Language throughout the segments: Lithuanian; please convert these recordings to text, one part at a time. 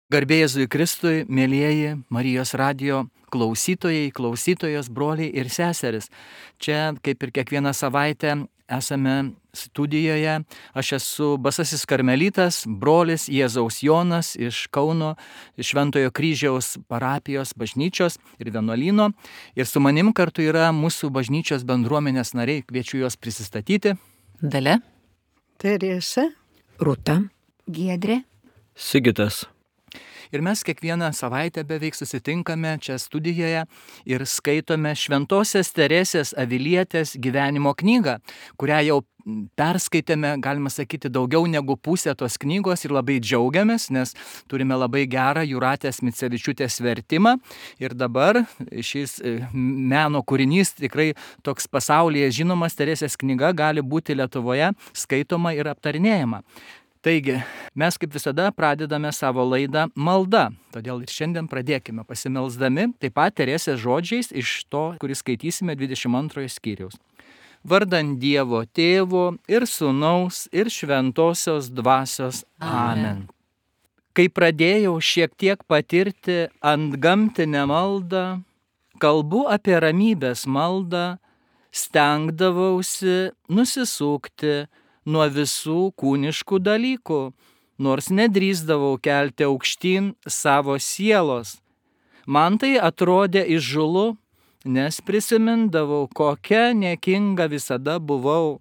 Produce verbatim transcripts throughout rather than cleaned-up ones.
Garbė Jėzui Kristui, mėlyjeji Marijos radijo klausytojai, klausytojos, broliai ir seseris. Čia, kaip ir kiekvieną savaitę, esame studijoje. Aš esu Basasis Karmelitas, brolis Jėzaus Jonas iš Kauno Šventojo Kryžiaus parapijos bažnyčios ir vienuolyno. Ir su manim kartu yra mūsų bažnyčios bendruomenės nariai. Kviečiu juos prisistatyti. Dalia, Teresa, Rūta, Giedrė, Sigitas. Ir mes kiekvieną savaitę beveik susitinkame čia studijoje ir skaitome Šventosios Teresės Avilietės gyvenimo knygą, kurią jau perskaitėme, galima sakyti, daugiau negu pusę tos knygos ir labai džiaugiamės, nes turime labai gerą Jūratės Micevičiūtės vertimą ir dabar šis meno kūrinys, tikrai toks pasaulyje žinomas, Teresės knyga, gali būti Lietuvoje skaitoma ir aptarinėjama. Taigi, mes kaip visada pradedame savo laidą malda, todėl ir šiandien pradėkime pasimelsdami, taip pat Teresės žodžiais iš to, kurį skaitysime dvidešimt antrojo skyriaus. Vardant Dievo Tėvo ir Sūnaus ir Šventosios Dvasios. Amen. Kai pradėjau šiek tiek patirti antgamtinę maldą, kalbu apie ramybės maldą, stengdavausi nusisukti nuo visų kūniškų dalykų, nors nedrįsdavau kelti aukštyn savo sielos. Man tai atrodė įžūlu, nes prisimindavau, kokia niekinga visada buvau.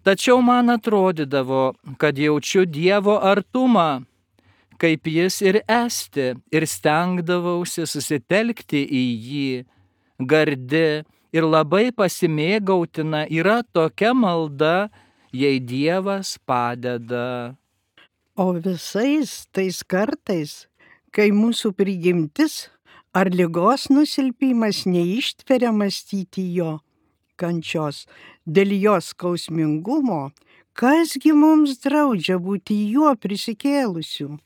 Tačiau man atrodydavo, kad jaučiu Dievo artumą, kaip jis ir esti, ir stengdavausi susitelkti į jį. Gardi ir labai pasimėgautina yra tokia malda, jei Dievas padeda. o visais tais kartais, kai mūsų prigimtis ar ligos nusilpimas neištveria mąstyti jo kančios, dėl jos skausmingumo, kasgi mums draudžia būti juo prisikėlusiu.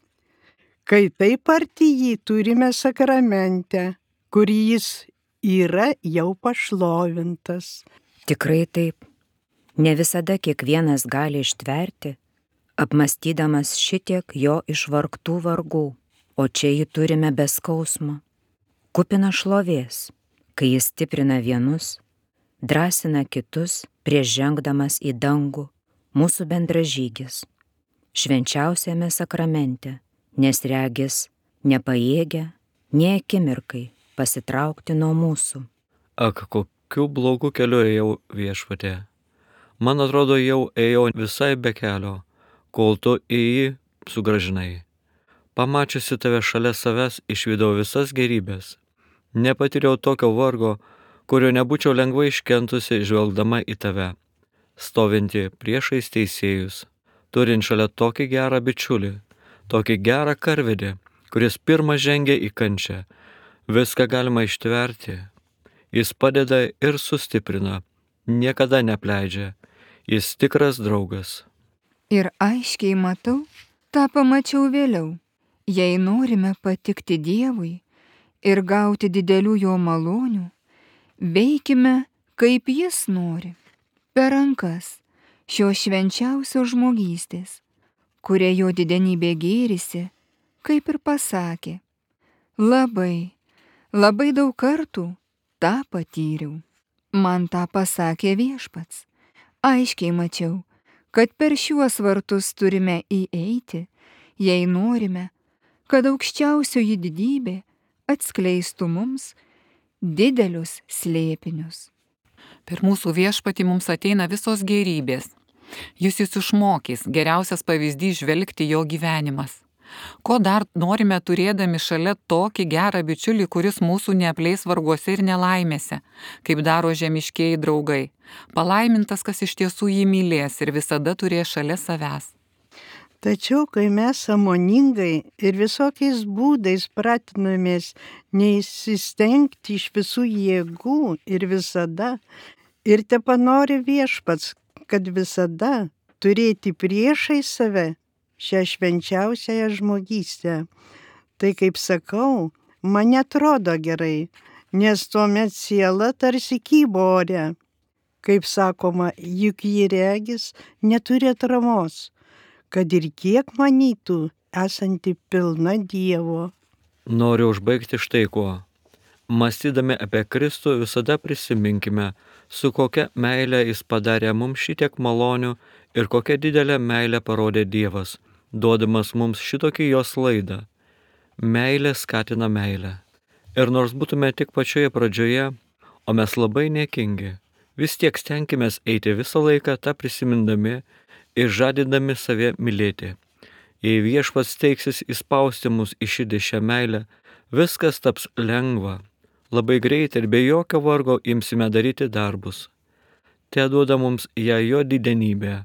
Kai taip arti jį turime sakramente, kur jis yra jau pašlovintas. tikrai taip. Ne visada kiekvienas gali ištverti, apmastydamas šitiek jo išvargtų vargų, o čia jį turime be skausmo. Kupina šlovės, kai jis stiprina vienus, drąsina kitus prieš žengdamas į dangų, mūsų bendražygis, švenčiausiame sakramente, nes regis nepajėgia nė akimirkai pasitraukti nuo mūsų. Ak, kokiu blogu keliu ėjau, Viešpatie. Man atrodo, jau ėjau visai be kelio, kol tu į jį sugrąžinai. Pamačiusi tave šalia savęs, išvydau visas gerybės. Nepatyriau tokio vargo, kurio nebūčiau lengvai iškentusi žvelgdama į tave, stovinti priešais teisėjus, turint šalia tokį gerą bičiulį, tokį gerą karvedį, kuris pirmas žengia į kančią. Viską galima ištverti. Jis padeda ir sustiprina, niekada nepleidžia. Jis tikras draugas. ir aiškiai matau, tą pamačiau vėliau. Jei norime patikti Dievui ir gauti didelių jo malonių, veikime, kaip jis nori, per rankas šio švenčiausio žmogystės, kuria jo didenybė gėrisi, kaip ir pasakė. Labai, labai daug kartų tą patyriau. Man tą pasakė Viešpats. Aiškiai mačiau, kad per šiuos vartus turime įeiti, jei norime, kad aukščiausioji didybė atskleistų mums didelius slėpinius. Per mūsų Viešpatį mums ateina visos gerybės. Jis jūs išmokys, geriausias pavyzdys žvelgti jo gyvenimas. Ko dar norime turėdami šalia tokį gerą bičiulį, kuris mūsų neapleis varguose ir nelaimėse, kaip daro žemiškieji draugai. Palaimintas, kas iš tiesų jį mylės ir visada turės šalia savęs. Tačiau, kai mes sąmoningai ir visokiais būdais pratinamės neįsistengti iš visų jėgų ir visada, ir tepanori Viešpats, kad visada turėti priešai save šią švenčiausiąją žmogystę, tai, kaip sakau, man netrodo gerai, nes tuomet siela tarsi kybo ore. Kaip sakoma, juk jį regis neturi atramos, kad ir kiek manytų esanti pilna Dievo. Noriu užbaigti štai kuo. Mąstydami apie Kristų visada prisiminkime, su kokia meile jis padarė mums šitiek malonių ir kokią didelę meilę parodė Dievas, duodamas mums šitokį jos laidą. Meilė skatina meilę. Ir nors būtume tik pačioje pradžioje, o mes labai niekingi, vis tiek stenkimės eiti visą laiką tą prisimindami ir žadindami save mylėti. Jei Viešpats teiksis įspausti mus į širdį šią meilę, viskas taps lengva. Labai greitai ir be jokio vargo imsime daryti darbus. Te duoda mums ją jo didenybė.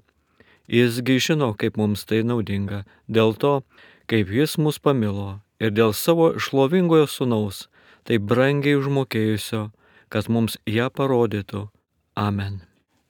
Jisgi žino, kaip mums tai naudinga, dėl to, kaip jis mus pamilo ir dėl savo šlovingojo sūnaus, taip brangiai užmokėjusio, kad mums ją parodytų. Amen.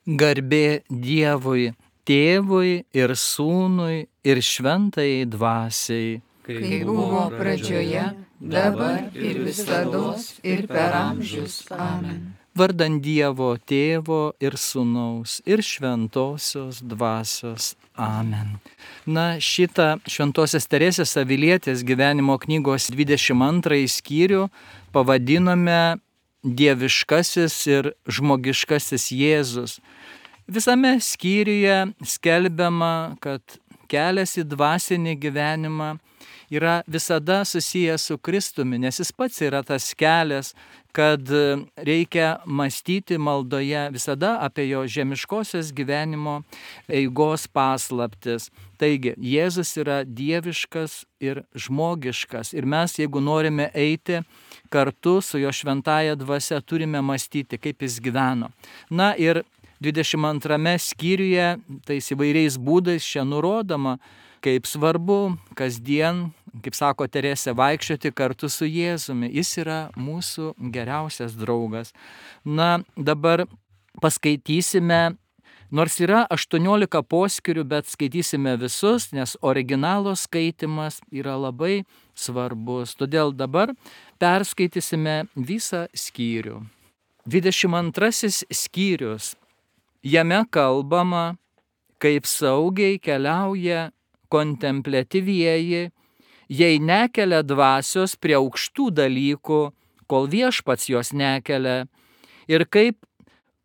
Garbė Dievui, Tėvui ir Sūnui ir Šventajai Dvasiai. Kaip buvo pradžioje, dabar ir visados ir per amžius. Amen. Vardan Dievo Tėvo ir Sūnaus ir Šventosios Dvasios. Amen. Na, šitą Šventosios Teresės Avilietės gyvenimo knygos dvidešimt antrąjį skyrių pavadinome Dieviškasis ir žmogiškasis Jėzus. Visame skyriuje skelbiama, kad kelias į dvasinį gyvenimą yra visada susijęs su Kristumi, nes jis pats yra tas kelias, kad reikia mąstyti maldoje visada apie jo žemiškosios gyvenimo eigos paslaptis. Taigi, Jėzus yra dieviškas ir žmogiškas. Ir mes, jeigu norime eiti kartu su jo šventąja dvasia, turime mąstyti, kaip jis gyveno. Na ir dvidešimt antrame skyriuje, tais įvairiais būdais čia nurodoma, kaip svarbu kasdien, kaip sako Teresė, vaikščioti kartu su Jėzumi. Jis yra mūsų geriausias draugas. Na, dabar paskaitysime, nors yra aštuoniolika poskyrių, bet skaitysime visus, nes originalo skaitimas yra labai svarbus. Todėl dabar perskaitysime visą skyrių. dvidešimt antrasis skyrius. Jame kalbama, kaip saugiai keliauja kontempliatyvieji, jei nekelia dvasios prie aukštų dalykų, kol Viešpats jos nekelia, ir kaip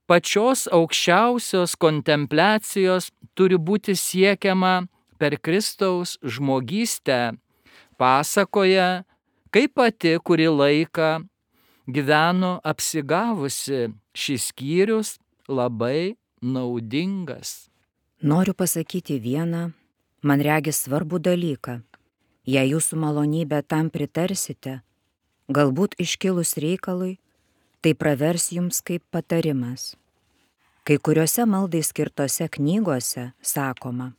pačios aukščiausios kontempliacijos turi būti siekiama per Kristaus žmogystę, pasakoja, kaip pati kurį laiką gyveno apsigavusi. Šis skyrius labai naudingas. Noriu pasakyti vieną, man regis svarbų dalyką. Jei jūsų malonybė tam pritarsite, galbūt iškilus reikalui, tai pravers jums kaip patarimas. Kai kuriuose maldai skirtose knygose sakoma,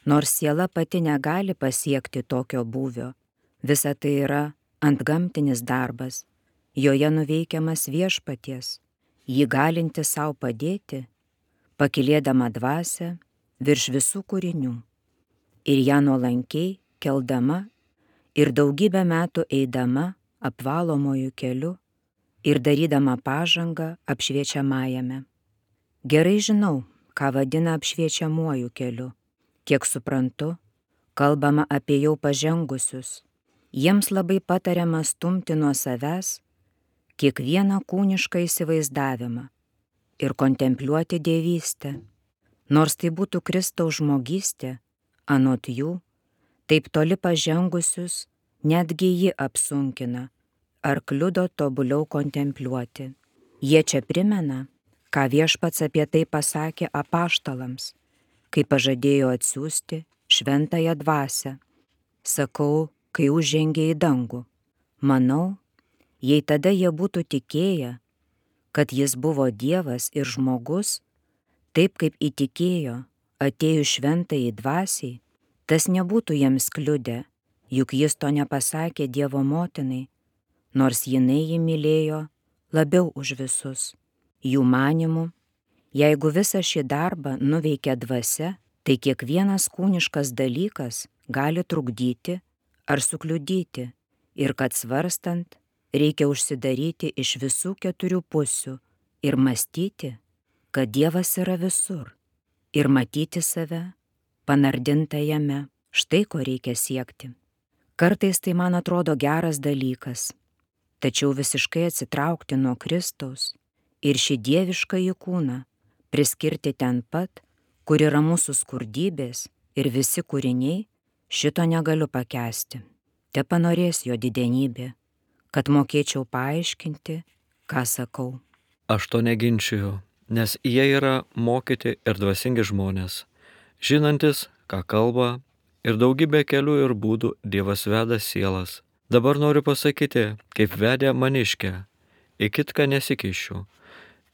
nors siela pati negali pasiekti tokio būvio, visa tai yra antgamtinis darbas, joje nuveikiamas Viešpaties, jį galinti savo padėti, pakilėdama dvasią virš visų kūrinių ir ją nuolankiai keldama ir daugybę metų eidama apvalomojų keliu ir darydama pažangą apšviečiamajame. Gerai žinau, ką vadina apšviečiamuoju keliu. Kiek suprantu, kalbama apie jau pažengusius. Jiems labai patariama stumti nuo savęs kiekvieną kūnišką įsivaizdavimą ir kontempliuoti dievystę. Nors tai būtų Kristaus žmogystė, anot jų, taip toli pažengusius netgi ji apsunkina ar kliudo tobuliau kontempliuoti. Jie čia primena, ką Viešpats apie tai pasakė apaštalams, kai pažadėjo atsiųsti šventąją dvasią. Sakau, kai užžengė į dangų. Manau, jei tada jie būtų tikėję, kad jis buvo Dievas ir žmogus, taip kaip įtikėjo atėjus šventajai dvasiai, tas nebūtų jiems kliudę, juk jis to nepasakė Dievo motinai, nors jinai jį mylėjo labiau už visus. Jų manimu, jeigu visą šį darbą nuveikia dvasia, tai kiekvienas kūniškas dalykas gali trukdyti ar sukliudyti ir kad svarstant reikia užsidaryti iš visų keturių pusių ir mąstyti, kad Dievas yra visur ir matyti save panardintą jame. Štai ko reikia siekti. Kartais tai man atrodo geras dalykas, tačiau visiškai atsitraukti nuo Kristaus ir šį dieviškąjį kūną priskirti ten pat, kur yra mūsų skurdybės ir visi kūriniai, šito negaliu pakęsti. Te panorės jo didenybė, kad mokėčiau paaiškinti, ką sakau. Aš to neginčiju, nes jie yra mokyti ir dvasingi žmonės, žinantis, ką kalba, ir daugybė kelių ir būdų Dievas veda sielas. Dabar noriu pasakyti, kaip vedė maniškę, į kitką nesikišiu.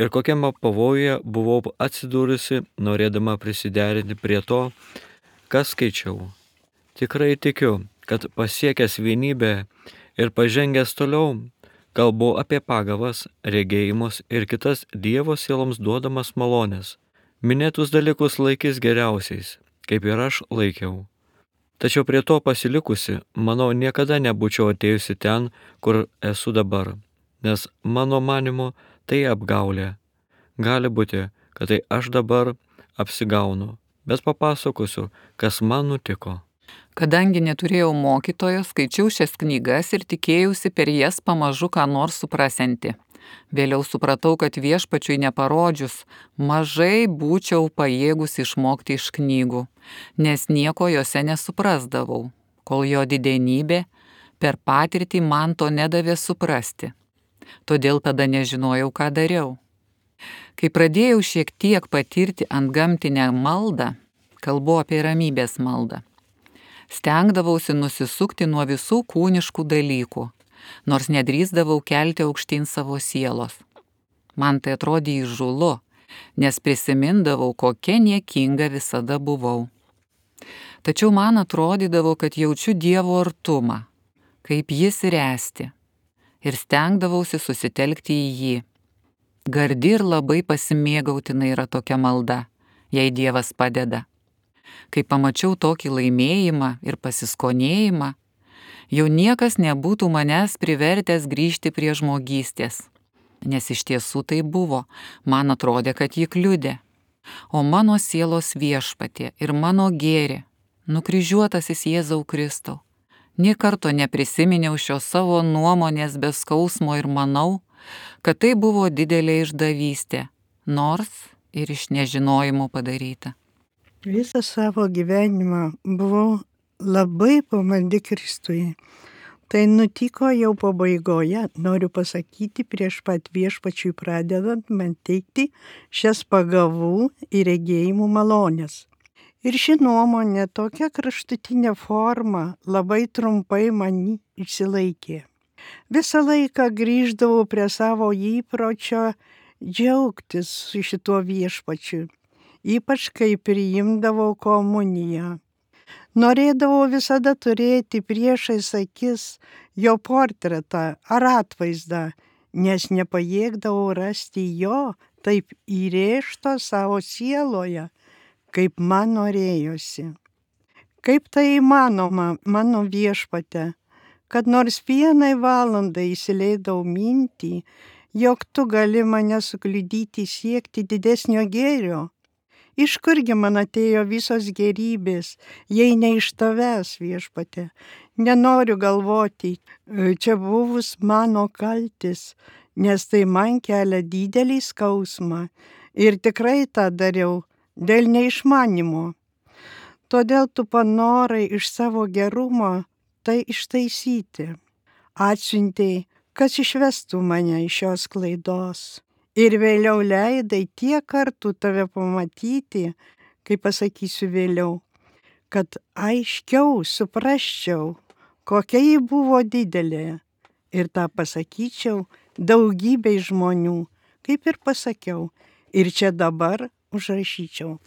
Ir kokiame pavojuje buvau atsidūrusi, norėdama prisiderinti prie to, ką skaičiau. Tikrai tikiu, kad pasiekęs vienybę ir pažengęs toliau, kalbu apie pagavas, regėjimus ir kitas Dievo sieloms duodamas malonės. Minėtus dalykus laikys geriausiais, kaip ir aš laikiau. Tačiau prie to pasilikusi, manau, niekada nebūčiau atėjusi ten, kur esu dabar, nes mano manimu tai apgaulė. Gali būti, kad tai aš dabar apsigaunu, bet papasakosiu, kas man nutiko. Kadangi neturėjau mokytojo, skaičiau šias knygas ir tikėjausi per jas pamažu ką nors suprasianti. Vėliau supratau, kad viešpačiui neparodžius, mažai būčiau pajėgus išmokti iš knygų, nes nieko jose nesuprasdavau, kol jo didenybė per patirtį man to nedavė suprasti. Todėl tada nežinojau, ką dariau. Kai pradėjau šiek tiek patirti antgamtinę maldą, kalbu apie ramybės maldą, stengdavausi nusisukti nuo visų kūniškų dalykų, nors nedrįsdavau kelti aukštyn savo sielos. Man tai atrodė įžūlu, nes prisimindavau, kokia niekinga visada buvau. Tačiau man atrodydavo, kad jaučiu Dievo artumą, kaip jis ręsti, ir stengdavausi susitelkti į jį. Gardi ir labai pasimėgautina yra tokia malda, jei Dievas padeda. Kai pamačiau tokį laimėjimą ir pasiskonėjimą, jau niekas nebūtų manęs privertęs grįžti prie žmogystės, nes iš tiesų tai buvo, man atrodė, kad ji kliudė. O mano sielos viešpatie ir mano gėri, nukryžiuotasis Jėzau Kristau, nė karto neprisiminiau šios savo nuomonės be skausmo ir manau, kad tai buvo didelė išdavystė, nors ir iš nežinojimo padaryta. Visą savo gyvenimą buvau labai pamaldi Kristui. Tai nutiko jau pabaigoje, noriu pasakyti, prieš pat viešpačiui pradedant man teikti šias pagavų ir regėjimų malonės. Ir ši nuomonė tokia kraštutinė forma labai trumpai man išsilaikė. Visą laiką grįždavau prie savo įpročio džiaugtis su šituo viešpačiu, ypač kai priimdavau komuniją. Norėdavau visada turėti priešais akis jo portretą ar atvaizdą, nes nepajėgdavau rasti jo taip įrėžto savo sieloje, kaip man norėjosi. Kaip tai įmanoma, mano viešpate, kad nors vienai valandai įsileidau mintį, jog tu gali mane sukliudyti siekti didesnio gėrio? Iš kurgi man atėjo visos gerybės, jei ne iš tavęs, viešpate? Nenoriu galvoti, čia buvus mano kaltis, nes tai man kelia didelį skausmą ir tikrai tą dariau dėl neišmanimo. Todėl tu panorai iš savo gerumo tai ištaisyti. Atsiuntei, kas išvestų mane iš šios klaidos. Ir vėliau leidai tiek kartų tave pamatyti, kaip pasakysiu vėliau, kad aiškiau suprasčiau, kokia ji buvo didelė. Ir tą pasakyčiau daugybei žmonių, kaip ir pasakiau, ir čia dabar užrašyčiau.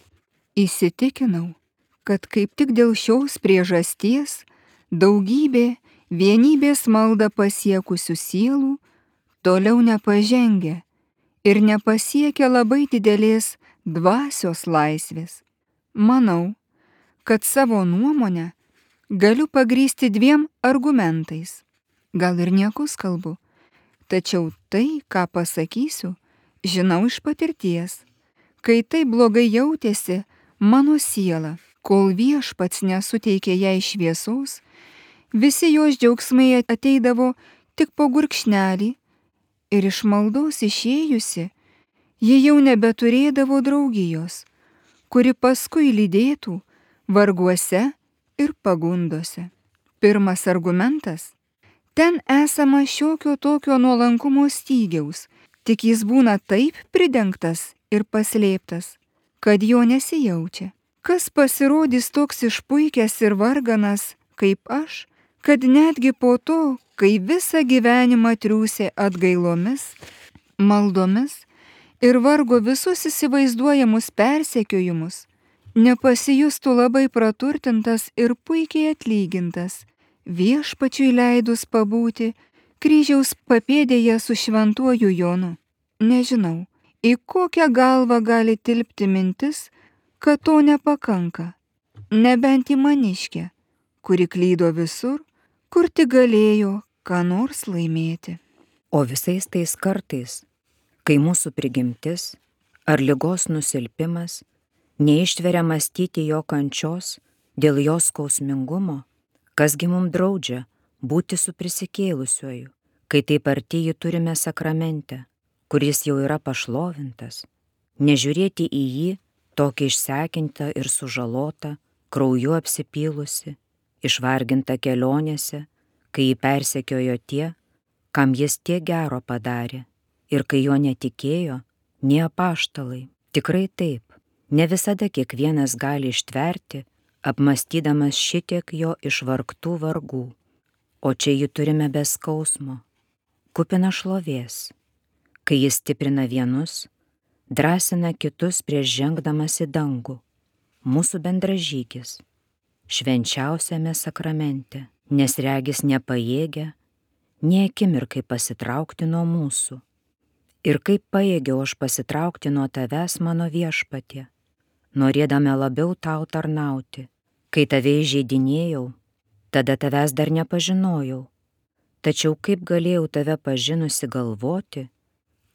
Įsitikinau, kad kaip tik dėl šios priežasties daugybė vienybės maldą pasiekusių sielų toliau nepažengia ir nepasiekia labai didelės dvasios laisvės. Manau, kad savo nuomonę galiu pagrįsti dviem argumentais. Gal ir niekus kalbu, tačiau tai, ką pasakysiu, žinau iš patirties. Kai tai blogai jautėsi mano siela, Kol Viešpats nesuteikė jai šviesos, visi jos džiaugsmai ateidavo tik po gurkšnelį ir iš maldos išėjusi, ji jau nebeturėdavo draugijos, kuri paskui lydėtų varguose ir pagundose. Pirmas argumentas. Ten esama šiokio tokio nuolankumo stygiaus, tik jis būna taip pridengtas ir paslėptas, kad jo nesijaučia. Kas pasirodys toks išpuikęs ir varganas, kaip aš, kad netgi po to, kai visą gyvenimą triūsė atgailomis, maldomis ir vargo visus įsivaizduojamus persekiojimus, nepasijustų labai praturtintas ir puikiai atlygintas, Viešpačiui leidus pabūti kryžiaus papėdėje su šventuoju Jonu. Nežinau, į kokią galvą gali tilpti mintis, kad to nepakanka, nebent į maniškę, kuri klydo visur, kur tik galėjo ką nors laimėti. O visais tais kartais, kai mūsų prigimtis ar ligos nusilpimas neištveria mąstyti jo kančios dėl jos skausmingumo, kasgi mums draudžia būti su prisikėlusiuoju, kai taip arti jį turime sakramente, kuris jau yra pašlovintas, nežiūrėti į jį tokį išsekintą ir sužalotą, krauju apsipylusi, išvargintą kelionėse, kai jį persekiojo tie, kam jis tiek gero padarė, ir kai jo netikėjo, nie apaštalai. Tikrai taip, ne visada kiekvienas gali ištverti, apmąstydamas šitiek jo išvargtų vargų, o čia jį turime be skausmo, kupina šlovės, kai jis stiprina vienus, drąsina kitus prieš žengdamas į dangų, mūsų bendražygis, švenčiausiame sakramente, nes regis nepajėgia, nė akimirkai pasitraukti nuo mūsų. Ir kaip pajėgiau aš pasitraukti nuo tavęs, mano Viešpatie, norėdama labiau tau tarnauti. Kai tave įžeidinėjau, tada tavęs dar nepažinojau, tačiau kaip galėjau tave pažinusi galvoti,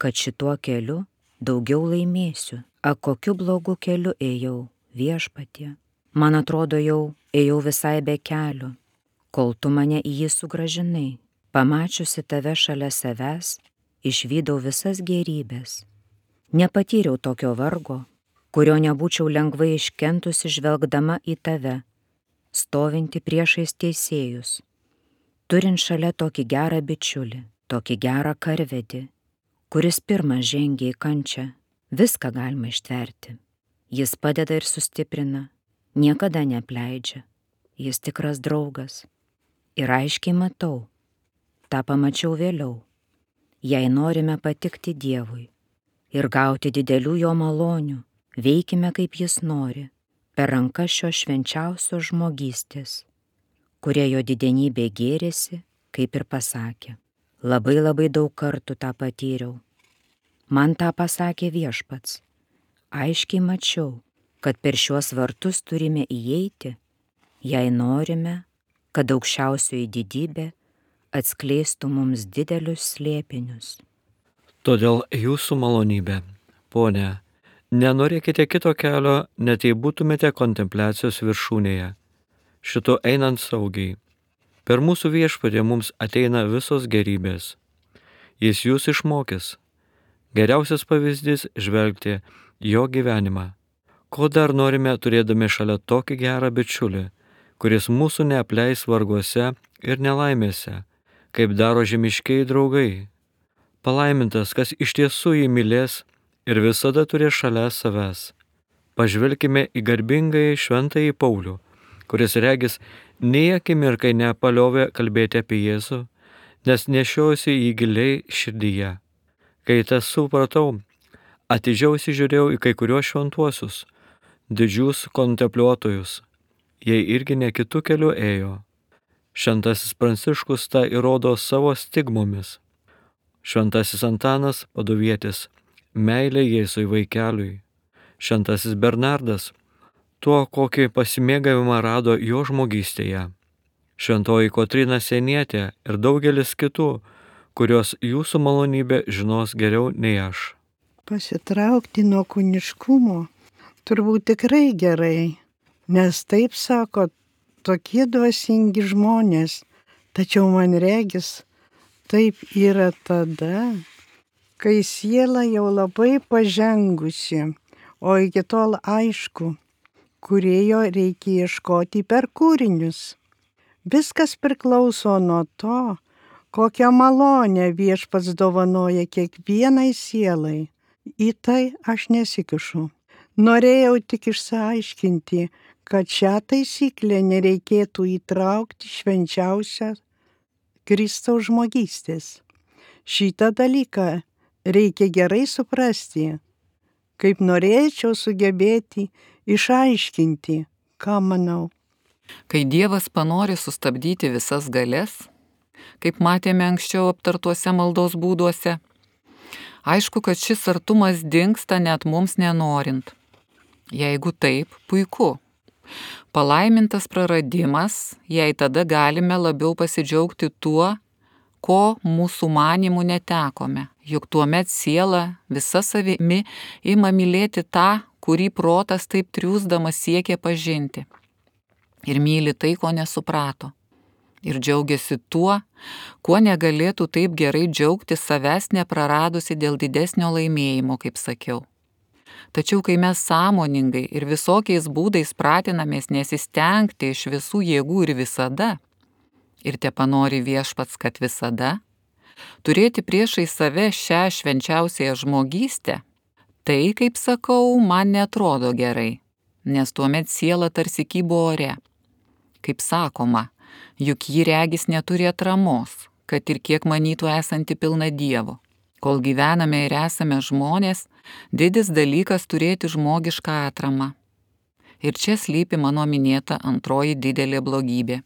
kad šituo keliu daugiau laimėsiu. A kokiu blogu keliu ėjau, Viešpatie? Man atrodo, jau ėjau visai be kelio, kol tu mane į jį sugrąžinai. Pamačiusi tave šalia savęs, išvydau visas gėrybės. Nepatyriau tokio vargo, kurio nebūčiau lengvai iškentusi žvelgdama į tave, stovinti priešais teisėjus, turint šalia tokį gerą bičiulį, tokį gerą karvedį, kuris pirmas žengia į kančią. Viską galima ištverti. Jis padeda ir sustiprina, niekada neapleidžia, jis tikras draugas. Ir aiškiai matau, tą pamačiau vėliau, jei norime patikti Dievui ir gauti didelių jo malonių, veikime kaip jis nori, per rankas šios švenčiausios žmogystės, kurie jo didenybė gėrėsi, kaip ir pasakė. Labai labai daug kartų tą patyriau. Man tą pasakė Viešpats. Aiškiai mačiau, kad per šiuos vartus turime įeiti, jei norime, kad aukščiausioji didybė atskleistų mums didelius slėpinius. Todėl jūsų malonybė, Pone, nenorėkite kito kelio, net jei būtumėte kontempliacijos viršūnėje, šito einant saugiai. Per mūsų Viešpatį mums ateina visos gerybės. Jis jūs išmokys. Geriausias pavyzdys žvelgti jo gyvenimą. Ko dar norime turėdami šalia tokį gerą bičiulį, kuris mūsų neapleis varguose ir nelaimėse, kaip daro žemiškiai draugai. Palaimintas, kas iš tiesų jį mylės ir visada turės šalia savęs. Pažvelkime į garbingąjį šventąjį Paulių, kuris regis nei akimirkai nepaliovė kalbėti apie Jėzų, nes nešiojusi jį giliai širdyje. Kai tas supratau, atidžiau įsižiūrėjau į kai kuriuos šventuosius, didžius kontempliuotojus. Jie irgi ne kitų kelių ėjo. Šventasis Pranciškus tą įrodo savo stigmomis. Šventasis Antanas Paduvietis meilė Jėzui vaikeliui. Šventasis Bernardas tuo, kokį pasimėgavimą rado jo žmogystėje. Šventoji Kotryna Sienietė ir daugelis kitų, kurios jūsų malonybė žinos geriau nei aš. Pasitraukti nuo kūniškumo turbūt tikrai gerai, Nes taip sako tokie dvasingi žmonės, tačiau man regis, taip yra tada, kai siela jau labai pažengusi, o iki tol aišku, kūrėjo reikia ieškoti per kūrinius. Viskas priklauso nuo to, kokią malonę Viešpats dovanoja kiekvienai sielai. Į tai aš nesikišu. Norėjau tik išsiaiškinti, kad šią taisyklę nereikėtų įtraukti švenčiausią Kristaus žmogystės. Šitą dalyką reikia gerai suprasti, kaip norėčiau sugebėti išaiškinti, ką manau. Kai Dievas panori sustabdyti visas galias, kaip matėme anksčiau aptartuose maldos būduose, aišku, kad šis artumas dingsta net mums nenorint. Jeigu taip, puiku. Palaimintas praradimas, jei tada galime labiau pasidžiaugti tuo, ko mūsų manimų netekome. Juk tuomet siela visa savimi ima mylėti tą, kurį protas taip triūsdamas siekia pažinti. Ir myli tai, ko nesuprato. Ir džiaugiasi tuo, kuo negalėtų taip gerai džiaugtis savęs nepraradusi dėl didesnio laimėjimo, kaip sakiau. Tačiau kai mes sąmoningai ir visokiais būdais pratinamės nesistengti iš visų jėgų ir visada, ir tepanori Viešpats, kad visada, turėti priešai save šią švenčiausiąją žmogystę, tai, kaip sakau, man netrodo gerai, nes tuomet siela tarsi kybo ore. Kaip sakoma, juk ji regis neturi atramos, kad ir kiek manytų esanti pilna Dievo. Kol gyvename ir esame žmonės, didis dalykas turėti žmogišką atramą. Ir čia slypi mano minėta antroji didelė blogybė.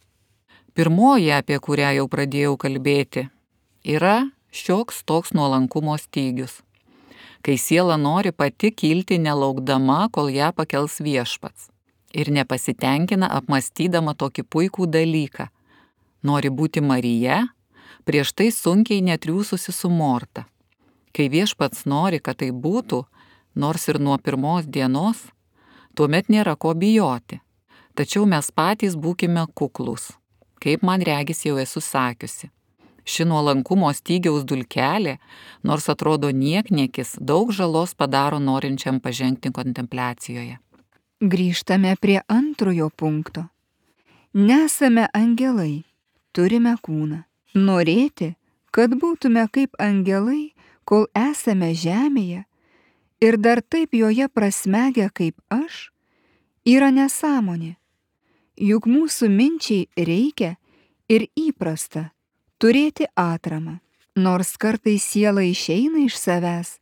Pirmoji, apie kurią jau pradėjau kalbėti, yra šioks toks nuolankumo stygius. Kai siela nori pati kilti nelaukdama, kol ją pakels Viešpats. Ir nepasitenkina apmastydama tokį puikų dalyką. Nori būti Marija, prieš tai sunkiai netriūsusi su Morta. Kai Viešpats nori, kad tai būtų, nors ir nuo pirmos dienos, tuomet nėra ko bijoti. Tačiau mes patys būkime kuklūs, kaip man regis jau esu sakiusi. Ši nuolankumo stygiaus dulkelė, nors atrodo niekniekis, daug žalos padaro norinčiam pažengti kontempliacijoje. Grįžtame prie antrojo punkto. Nesame angelai, turime kūną. Norėti, kad būtume kaip angelai, kol esame žemėje, ir dar taip joje prasmegę kaip aš, yra nesąmonė. Juk mūsų minčiai reikia ir įprasta turėti atramą. Nors kartais siela išeina iš savęs,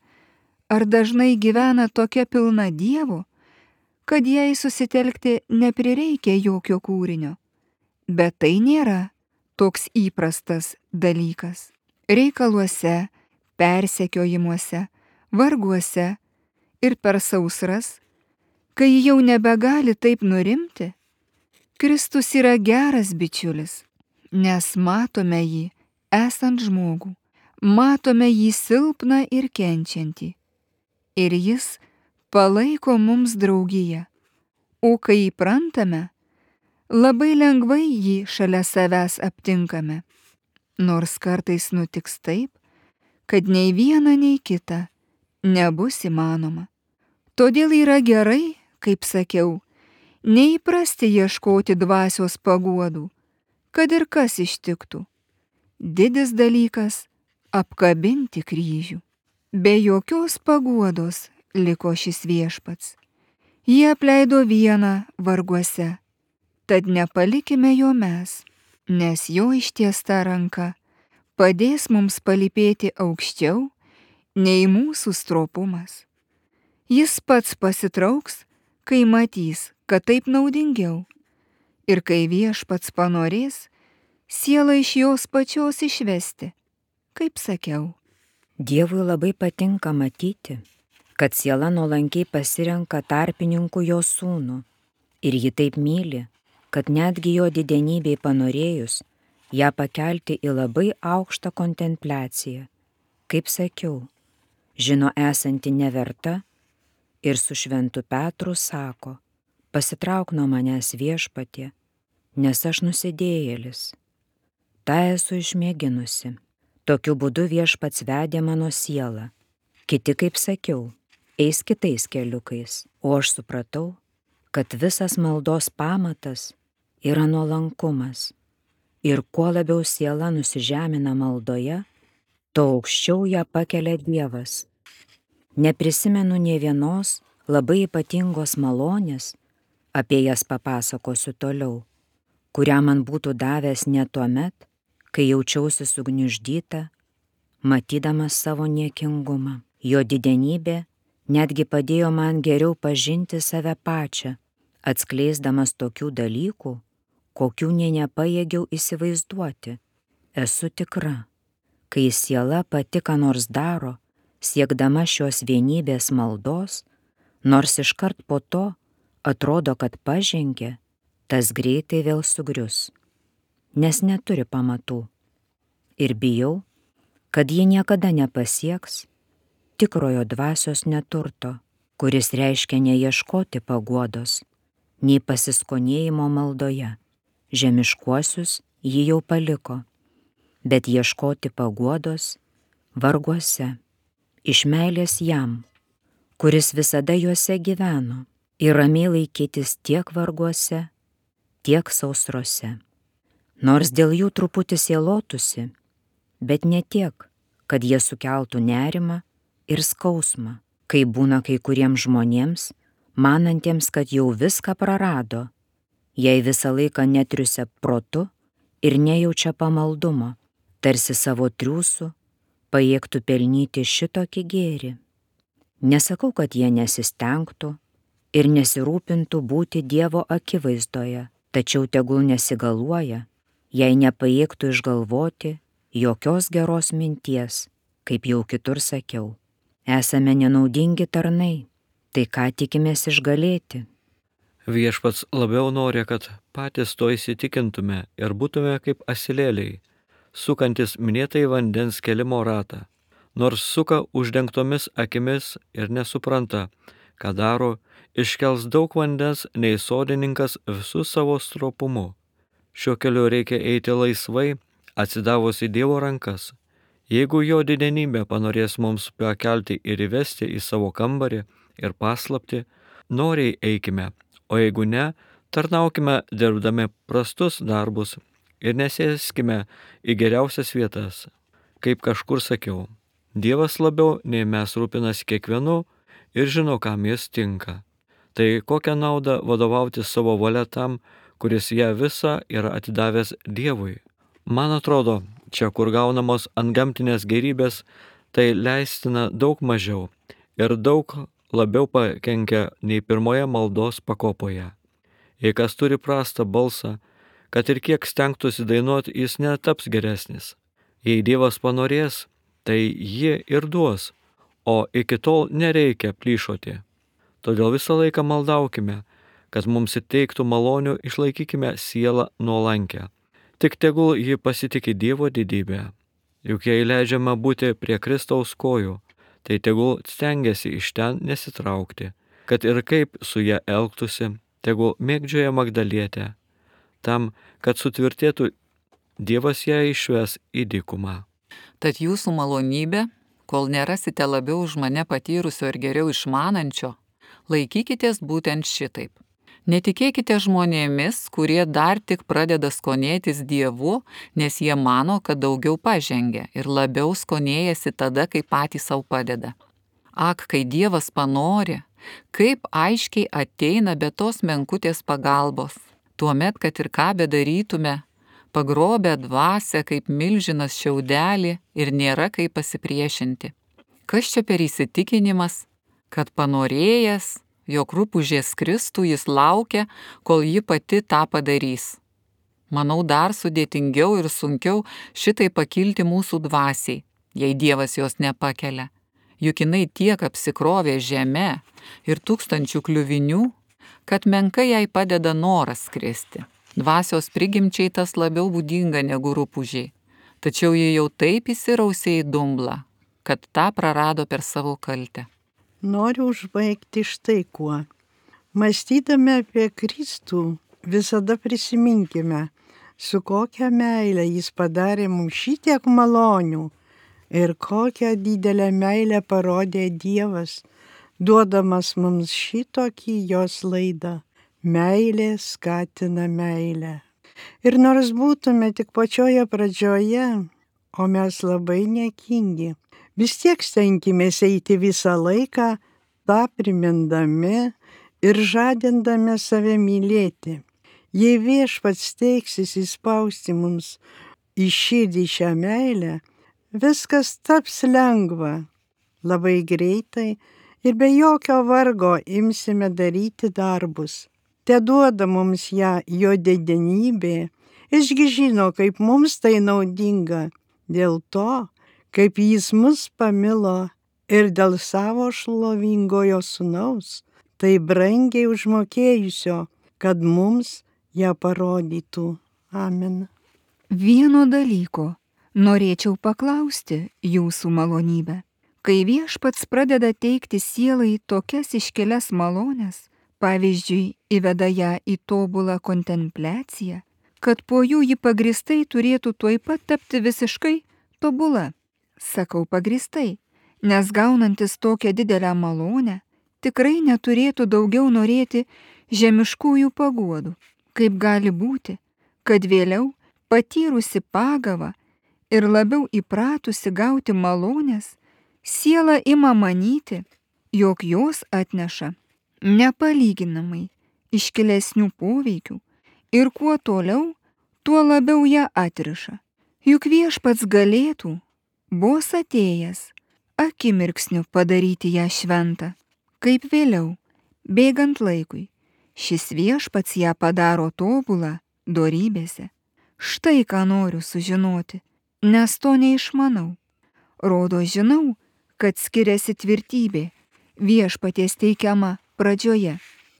ar dažnai gyvena tokia pilna Dievo, kad jai susitelkti neprireikia jokio kūrinio. Bet tai nėra toks įprastas dalykas. Reikaluose, persekiojimuose, varguose ir per sausras, kai jau nebegali taip nurimti, Kristus yra geras bičiulis, nes matome jį esant žmogų, matome jį silpną ir kenčiantį, ir jis palaiko mums draugiją, o kai įprantame, labai lengvai jį šalia savęs aptinkame, nors kartais nutiks taip, kad nei viena, nei kita nebus įmanoma. Todėl yra gerai, kaip sakiau, neįprasti ieškoti dvasios paguodų, kad ir kas ištiktų. Didis dalykas – apkabinti kryžių. Be jokios paguodos liko šis Viešpats. Jie apleido vieną varguose, tad nepalikime jo mes, nes jo ištiesta ranka padės mums palypėti aukščiau nei mūsų stropumas. Jis pats pasitrauks, kai matys, kad taip naudingiau, ir kai Viešpats panorės, sielą iš jos pačios išvesti, kaip sakiau. Dievui labai patinka matyti, kad siela nuolankiai pasirenka tarpininkų jo sūnų, ir ji taip myli, kad netgi jo didenybei panorėjus, ją pakelti į labai aukštą kontempliaciją. Kaip sakiau, žino esanti neverta ir su šventu Petru sako, pasitrauk nuo manęs Viešpatie, nes aš nusidėjėlis. Ta esu išmėginusi. Tokiu būdu Viešpats vedė mano sielą. Kiti, kaip sakiau, eis kitais keliukais, o aš supratau, kad visas maldos pamatas yra nuolankumas. Ir kuo labiau siela nusižemina maldoje, tuo aukščiau ją pakelia Dievas. Neprisimenu nė vienos labai ypatingos malonės, apie jas papasakosiu toliau, kurią man būtų davęs ne tuomet, kai jaučiausi sugniuždyta, matydamas savo niekingumą. Jo didenybė netgi padėjo man geriau pažinti save pačią, atskleisdamas tokių dalykų, kokių nė nepajėgiau įsivaizduoti. Esu tikra, kai siela pati ką nors daro, siekdama šios vienybės maldos, nors iškart po to atrodo, kad pažengė, tas greitai vėl sugrius, nes neturi pamatų. Ir bijau, kad ji niekada nepasieks tikrojo dvasios neturto, kuris reiškia neieškoti paguodos, nei pasiskonėjimo maldoje. Žemiškuosius ji jau paliko, bet ieškoti paguodos varguose, iš meilės jam, kuris visada juose gyveno, ir ramiai laikytis tiek varguose, tiek sausrose. Nors dėl jų truputį sielotųsi, bet ne tiek, kad jie sukeltų nerimą ir skausmą, kai būna kai kuriems žmonėms, manantiems, kad jau viską prarado, jei visą laiką netriusia protu ir nejaučia pamaldumo, tarsi savo triūsų pajėgtų pelnyti šitokį gėrį. Nesakau, kad jie nesistengtų ir nesirūpintų būti Dievo akivaizdoje, tačiau tegul nesigaluoja, jei nepajėgtų išgalvoti jokios geros minties, kaip jau kitur sakiau. Esame nenaudingi tarnai, tai ką tikimės išgalėti? Viešpats labiau nori, kad patys to įsitikintume ir būtume kaip asilėliai, sukantis minėtai vandens kelimo ratą. Nors suka uždengtomis akimis ir nesupranta, ką daro, iškels daug vandens nei sodininkas visų savo stropumu. Šiuo keliu reikia eiti laisvai, atsidavus į Dievo rankas. Jeigu jo didenybė panorės mums pakelti ir įvesti į savo kambarį ir paslapti, noriai eikime, o jeigu ne, tarnaukime dirbdami prastus darbus ir nesėskime į geriausias vietas. Kaip kažkur sakiau, Dievas labiau nei mes rūpinasi kiekvienu ir žino, kam jis tinka. Tai kokią naudą vadovauti savo valia tam, kuris ją visą yra atidavęs Dievui? Man atrodo, čia, kur gaunamos antgamtinės gėrybės, tai leistina daug mažiau ir daug labiau pakenkia nei pirmoje maldos pakopoje. Jei kas turi prastą balsą, kad ir kiek stengtųsi dainuoti, jis netaps geresnis. Jei Dievas panorės, tai jį ir duos, o iki tol nereikia plyšoti. Todėl visą laiką maldaukime, kad mums įteiktų malonių, išlaikykime sielą nuolankę. Tik tegul ji pasitikė Dievo didybę. Juk jei leidžiama būti prie Kristaus kojų, tai tegul stengiasi iš ten nesitraukti, kad ir kaip su ją elgtųsi, tegul mėgdžioja Magdalietę, tam, kad sutvirtėtų, Dievas ją išves į dykumą. Tad jūsų malonybė, kol nerasite labiau už mane patyrusio ir geriau išmanančio, laikykitės būtent šitaip. Netikėkite žmonėmis, kurie dar tik pradeda skonėtis Dievu, nes jie mano, kad daugiau pažengia ir labiau skonėjasi tada, kai patys savo padeda. Ak, kai Dievas panori, kaip aiškiai ateina be tos menkutės pagalbos. Tuomet, kad ir ką bedarytume, pagrobę dvasią kaip milžinas šiaudelį ir nėra kaip pasipriešinti. Kas čia per įsitikinimas, kad panorėjęs, jog rupūžės kristų jis laukia, kol ji pati tą padarys. Manau, dar sudėtingiau ir sunkiau šitai pakilti mūsų dvasiai, jei Dievas jos nepakelia. Juk jinai tiek apsikrovė žeme ir tūkstančių kliuvinių, kad menkai jai padeda noras skristi. Dvasios prigimčiai tas labiau būdinga negu rupūžiai. Tačiau ji jau taip įsirausė į dumblą, kad tą prarado per savo kaltę. Noriu užbaigti štai kuo. Mąstydami apie Kristų, visada prisiminkime, su kokia meile jis padarė mums šitiek malonių ir kokią didelę meilę parodė Dievas, duodamas mums šitokį jos laidą. Meilė skatina meilę. Ir nors būtume tik pačioje pradžioje, o mes labai niekingi, vis tiek stenkimės eiti visą laiką, tą primindami ir žadindami save mylėti. Jei Viešpats teiksis įspausti mums į širdį šią meilę, viskas taps lengva. Labai greitai ir be jokio vargo imsime daryti darbus. Te duoda mums ją jo didenybė, išgi žino, kaip mums tai naudinga, dėl to, kaip jis mus pamilo ir dėl savo šlovingojo sūnaus, tai brangiai užmokėjusio, kad mums ją parodytų. Amen. Vieno dalyko norėčiau paklausti jūsų malonybę. Kai Viešpats pradeda teikti sielai tokias iškelias malones, pavyzdžiui, įveda ją į tobulą kontempliaciją, kad po jų ji pagristai turėtų tuoj pat tapti visiškai tobula. Sakau pagristai, nes gaunantis tokią didelę malonę, tikrai neturėtų daugiau norėti žemiškųjų paguodų. Kaip gali būti, kad vėliau patyrusi pagavą ir labiau įpratusi gauti malonės, siela ima manyti, jog jos atneša nepalyginamai iškilesnių poveikių ir kuo toliau, tuo labiau ją atriša. Juk Viešpats galėtų, vos atėjęs, akimirksniu padaryti ją šventą, kaip vėliau, bėgant laikui, šis Viešpats ją padaro tobulą dorybėse. Štai ką noriu sužinoti, nes to neišmanau. Rodo, žinau, kad skiriasi tvirtybė Viešpaties teikiama pradžioje,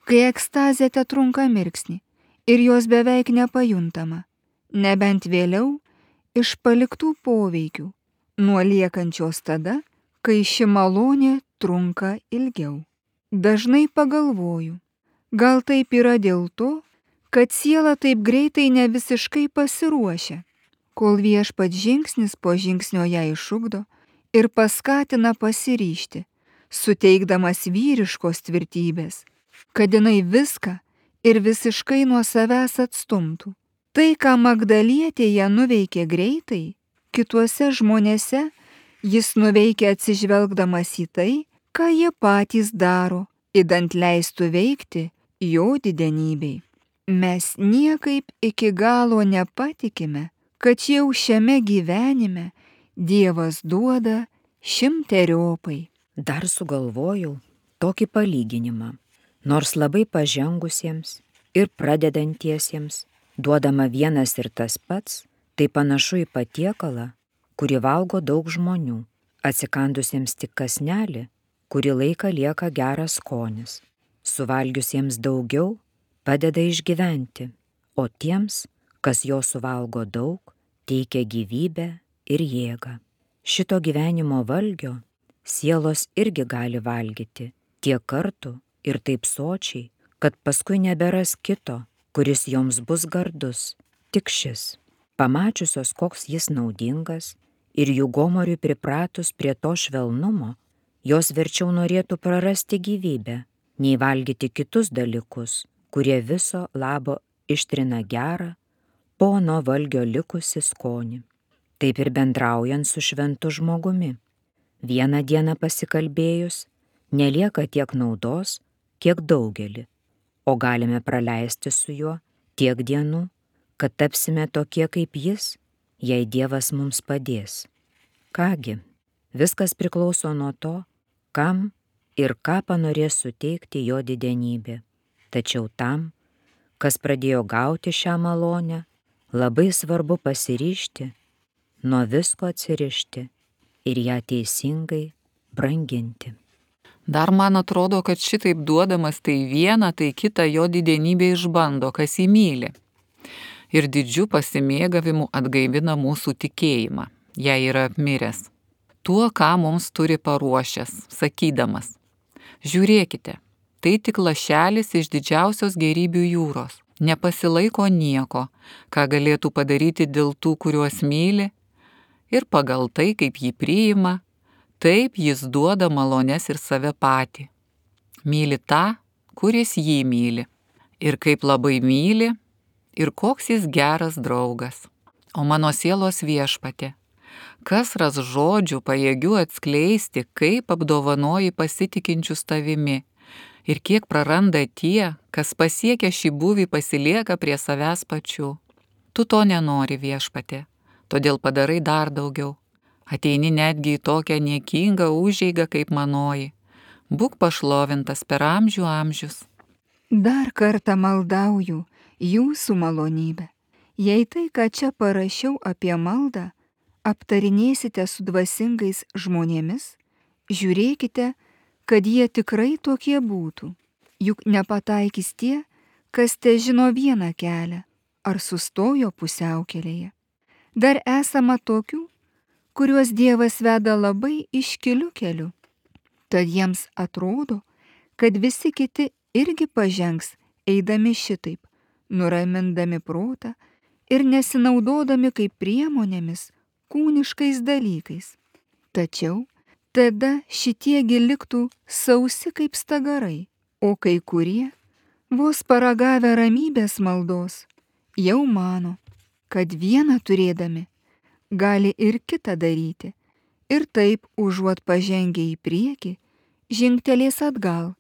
kai ekstazė tetrunka mirksnį ir jos beveik nepajuntama, nebent vėliau iš paliktų poveikių, nuo liekančios tada, kai ši malonė trunka ilgiau. Dažnai pagalvoju, gal taip yra dėl to, kad siela taip greitai ne visiškai pasiruošia, kol Viešpats žingsnis po žingsnio ją išugdo ir paskatina pasiryžti, suteikdamas vyriškos tvirtybės, kad jinai viską ir visiškai nuo savęs atstumtų. Tai, ką Magdalietėje nuveikė greitai, kituose žmonėse jis nuveikė atsižvelgdamas į tai, ką jie patys daro, idant leistų veikti jo didenybei. Mes niekaip iki galo nepatikime, kad jau šiame gyvenime Dievas duoda šimteriopai. Dar sugalvojau tokį palyginimą, nors labai pažengusiems ir pradedantiesiems duodama vienas ir tas pats, tai panašu į patiekalą, kurį valgo daug žmonių, atsikandusiems tik kąsnelį, kurį laiką lieka geras skonis, suvalgiusiems daugiau padeda išgyventi, o tiems, kas jo suvalgo daug, teikia gyvybę ir jėgą. Šito gyvenimo valgio sielos irgi gali valgyti tiek kartų ir taip sočiai, kad paskui neberas kito, kuris joms bus gardus, tik šis. Pamačiusios, koks jis naudingas ir jų gomoriui pripratus prie to švelnumo, jos verčiau norėtų prarasti gyvybę, nei valgyti kitus dalykus, kurie viso labo ištrina gerą, pono valgio likusi skonį. Taip ir bendraujant su šventu žmogumi. Vieną dieną pasikalbėjus, nelieka tiek naudos, kiek daugelį, o galime praleisti su juo tiek dienų, kad tapsime tokie kaip jis, jei Dievas mums padės. Kągi, viskas priklauso nuo to, kam ir ką panorės suteikti jo didenybė. Tačiau tam, kas pradėjo gauti šią malonę, labai svarbu pasiryžti, nuo visko atsirišti ir ją teisingai branginti. Dar man atrodo, kad šitaip duodamas tai vieną, tai kitą jo didenybė išbando, kas jį myli. Ir didžiu pasimėgavimu atgaivina mūsų tikėjimą, jei yra apmiręs. Tuo, ką mums turi paruošęs, sakydamas: žiūrėkite, tai tik lašelis iš didžiausios gėrybių jūros. Nepasilaiko nieko, ką galėtų padaryti dėl tų, kuriuos myli, ir pagal tai, kaip jį priima, taip jis duoda malones ir save patį. Myli tą, kuris jį myli. Ir kaip labai myli, ir koks jis geras draugas. O mano sielos viešpatie, kas ras žodžių pajėgių atskleisti, kaip apdovanoji pasitikinčius tavimi, ir kiek praranda tie, kas pasiekia šį buvį pasilieka prie savęs pačių. Tu to nenori, viešpatie, todėl padarai dar daugiau. Ateini netgi į tokią niekingą užeigą kaip manoji. Būk pašlovintas per amžių amžius. Dar kartą maldauju jūsų malonybę. Jei tai, ką čia parašiau apie maldą, aptarinėsite su dvasingais žmonėmis, žiūrėkite, kad jie tikrai tokie būtų. Juk nepataikys tie, kas te žino vieną kelią, ar sustojo pusiaukelėje. Dar esama tokių, kuriuos Dievas veda labai iškiliu keliu. Tad jiems atrodo, kad visi kiti irgi pažengs, eidami šitaip, nuramindami protą ir nesinaudodami kaip priemonėmis kūniškais dalykais. Tačiau tada šitiegi liktų sausi kaip stagarai, o kai kurie, vos paragavę ramybės maldos, jau mano, kad vieną turėdami gali ir kitą daryti, ir taip užuot pažengę į priekį, žingtelės atgal.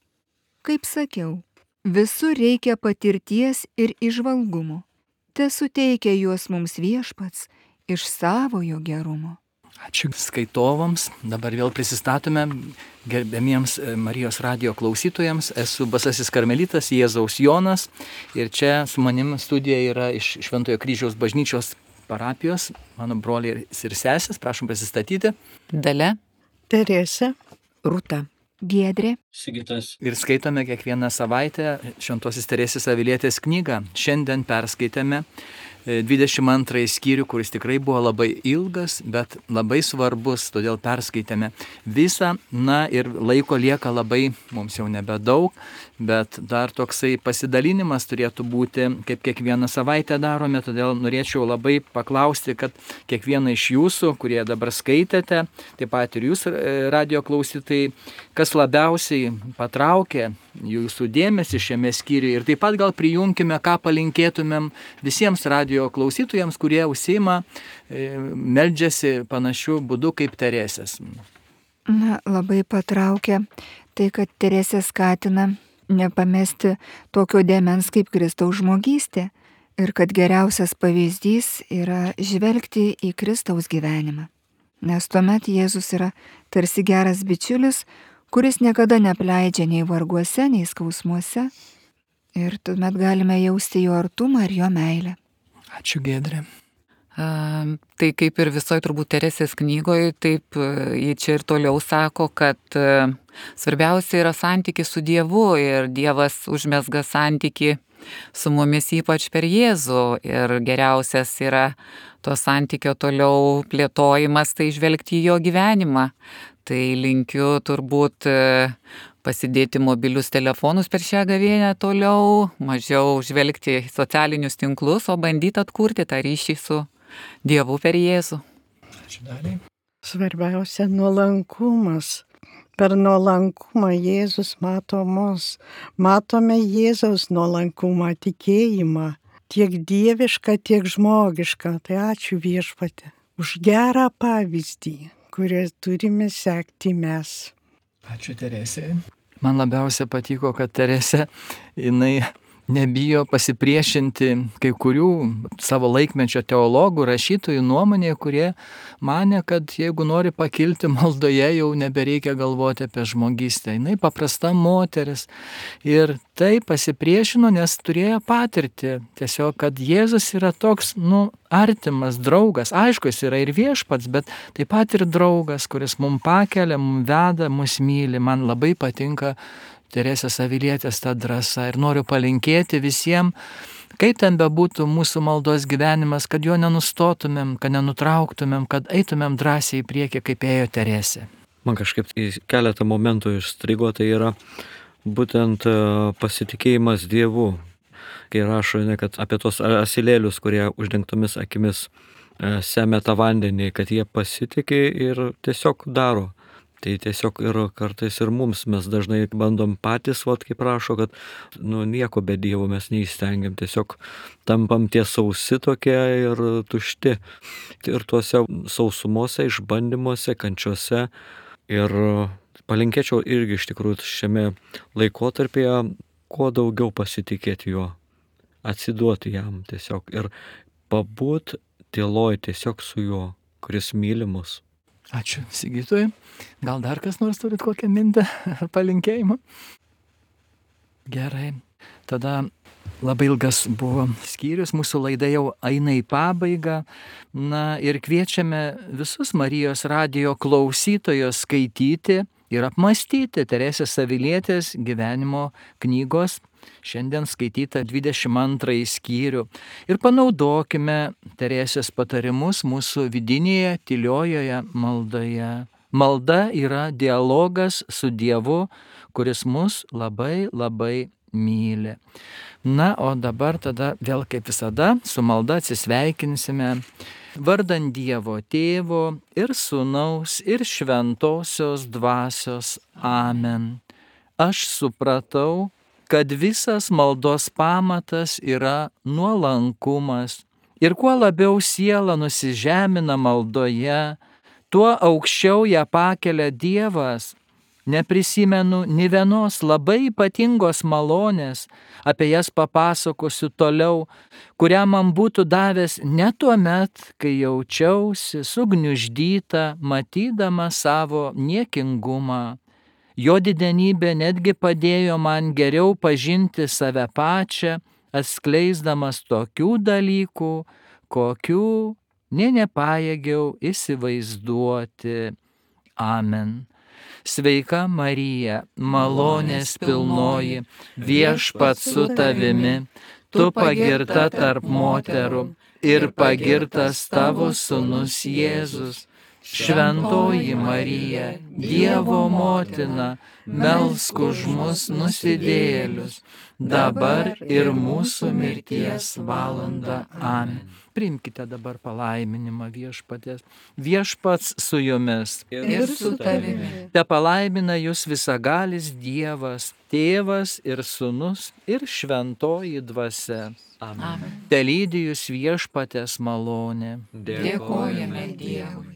Kaip sakiau, visur reikia patirties ir įžvalgumo. Te suteikia juos mums viešpats iš savojo gerumo. Ačiū skaitovams. Dabar vėl prisistatome gerbėmiems Marijos radijo klausytojams. Esu Basasis Karmelitas Jėzaus Jonas ir čia su manim studija yra iš Šventojo Kryžiaus bažnyčios parapijos, mano broliai ir sesės. Prašom prisistatyti. Dalia. Teresė. Rūta. Giedrė. Sigitas. Ir skaitome kiekvieną savaitę Šventosios Teresės Avilietės knygą. Šiandien perskaitėme dvidešimt antrąjį skyrių, kuris tikrai buvo labai ilgas, bet labai svarbus, todėl perskaitėme visą. Na ir laiko lieka labai, mums jau nebedaug, bet dar toksai pasidalinimas turėtų būti, kaip kiekvieną savaitę darome, todėl norėčiau labai paklausti, kad kiekvieną iš jūsų, kurie dabar skaitėte, taip pat ir jūs radio klausytojai, kas labiausiai patraukė jūsų dėmesį šiame skyriuje ir taip pat gal prijungkime, ką palinkėtumėm visiems radio klausytojams, kurie užsiima, meldžiasi panašių būdų kaip Teresės. Na, labai patraukia tai, kad Teresė skatina nepamesti tokio dėmens kaip Kristaus žmogystė ir kad geriausias pavyzdys yra žvelgti į Kristaus gyvenimą. Nes tuomet Jėzus yra tarsi geras bičiulis, kuris niekada neapleidžia nei varguose, nei skausmuose ir tuomet galime jausti jo artumą ir jo meilę. Ačiū, Giedrė. Uh, tai kaip ir visoje turbūt Teresės knygoje, taip uh, jie čia ir toliau sako, kad uh, svarbiausia yra santykis su Dievu ir Dievas užmezga santykį su mumis ypač per Jėzų ir geriausias yra to santykio toliau plėtojimas, tai žvelgti į jo gyvenimą. Tai linkiu turbūt pasidėti mobilius telefonus per šią gavėnią toliau, mažiau žvelgti į socialinius tinklus, o bandyti atkurti tą ryšį su Dievu per Jėzų. Ačiū Daliai. Svarbiausia nuolankumas. Per nuolankumą Jėzus mato mus. Matome Jėzaus nuolankumą, tikėjimą, tiek dievišką, tiek žmogišką. Tai ačiū viešpatie už gerą pavyzdį, kurią turime sekti mes. Ačiū Teresė. Man labiausia patiko, kad Teresė, jinai nebijo pasipriešinti kai kurių savo laikmečio teologų, rašytojų nuomonė, kurie mane, kad jeigu nori pakilti maldoje, jau nebereikia galvoti apie žmogystę. Jinai paprasta moteris ir tai pasipriešino, nes turėjo patirti tiesiog, kad Jėzus yra toks, nu, artimas draugas. Aišku, jis yra ir viešpats, bet taip pat ir draugas, kuris mums pakelia, mums veda, mus myli. Man labai patinka Teresės Avilietės ta drąsa ir noriu palinkėti visiems, kaip ten bebūtų mūsų maldos gyvenimas, kad jo nenustotumėm, kad nenutrauktumėm, kad eitumėm drąsiai į priekį, kaip ėjo Teresė. Man kažkaip į keletą momentų išstrigo, tai yra būtent pasitikėjimas Dievu. Kai rašo, ne, kad apie tos asilėlius, kurie uždengtomis akimis semia tą vandenį, kad jie pasitikė ir tiesiog daro. Tai tiesiog ir kartais ir mums mes dažnai bandom patys, vat, kaip rašo, kad nu, nieko be Dievo mes neįstengiam, tiesiog tampam tie sausi tokie ir tušti. Ir tuose sausumose, išbandymuose, kančiuose. Ir palinkėčiau irgi iš tikrųjų šiame laikotarpyje kuo daugiau pasitikėti juo, atsiduoti jam tiesiog ir pabūt tyloj tiesiog su juo, kuris myli mus. Ačiū Sigitui. Gal dar kas nors turit kokią mintį ar palinkėjimą? Gerai. Tada labai ilgas buvo skyrius, mūsų laida jau eina į pabaigą. Na ir kviečiame visus Marijos radijo klausytojus skaityti ir apmąstyti Teresės Avilietės gyvenimo knygos šiandien skaitytą dvidešimt antrąjį skyrių. Ir panaudokime Teresės patarimus mūsų vidinėje tyliojoje maldoje. Malda yra dialogas su Dievu, kuris mus labai labai myli. Na, o dabar tada vėl kaip visada su malda atsisveikinsime. Vardant Dievo Tėvo ir Sūnaus ir Šventosios Dvasios. Amen. Aš supratau, kad visas maldos pamatas yra nuolankumas. Ir kuo labiau siela nusižemina maldoje, tuo aukščiau ją pakelia Dievas. Neprisimenu nė vienos labai ypatingos malonės, apie jas papasakosiu toliau, kurią man būtų davęs ne tuomet, kai jaučiausi sugniuždyta, matydama savo niekingumą. Jo didenybė netgi padėjo man geriau pažinti save pačią, atskleisdamas tokių dalykų, kokių nė nepajėgiau įsivaizduoti. Amen. Sveika Marija, malonės pilnoji, Viešpats su tavimi, tu pagirta tarp moterų ir pagirtas tavo sūnus Jėzus. Šventoji Marija, Dievo motina, melsk už mus nusidėjėlius, dabar ir mūsų mirties valanda. Amen. Priimkite dabar palaiminimą Viešpaties. Viešpats su jumis. Ir su tavimi. Te palaimina jūs visagalis Dievas, Tėvas ir Sūnus ir Šventoji Dvasia. Amen. Te lydi jūs Viešpaties malonė. Dėkojame Dievui.